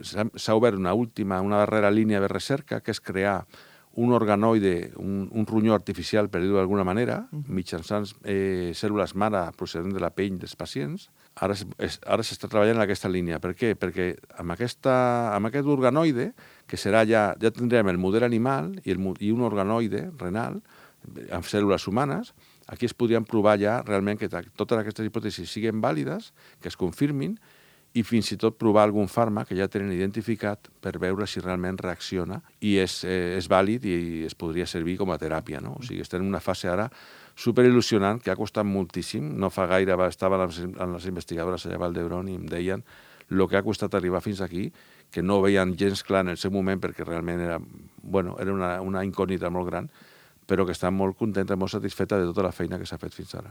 s'ha obert una darrera línia de recerca, que és crear un organoide, un ronyó artificial, per dir-ho d'alguna manera, mitjançant cèl·lules mare procedent de la pell dels pacients. Ara s'està treballant en aquesta línia. Per què? Perquè amb aquest organoide, que serà ja tindrem el model animal i un organoide renal amb cèl·lules humanes, aquí es podrien provar ja realment que totes aquestes hipòtesis siguin vàlides, que es confirmin, i fins i tot provar algun fàrmac que ja tenen identificat per veure si realment reacciona i és vàlid i es podria servir com a teràpia, no? O sigui, estem en una fase ara superil·lusionant que ha costat moltíssim. No fa gaire estaven les investigadores allà a Vall d'Hebron i em deien el que ha costat arribar fins aquí, que no veien gens clar en el seu moment perquè realment era una incògnita molt gran, però que estan molt contenta, molt satisfeta de tota la feina que s'ha fet fins ara.